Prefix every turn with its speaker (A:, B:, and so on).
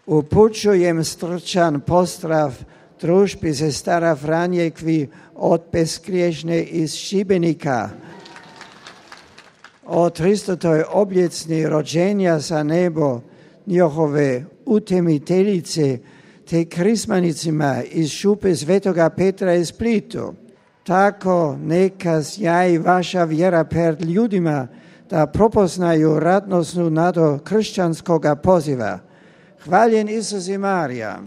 A: Upućujem stručan pozdrav družbi sestara Franjekvi od Bezgriješne iz Šibenika. O 300. obljetnici rođenja za nebo njihove utemiteljice te krismanicima iz šupe Svetoga Petra iz Splitu. Tako neka sjaji vaša vjera pred ljudima da prepoznaju radosnu nadu kršćanskoga poziva. Hvaljen Isus i Marija.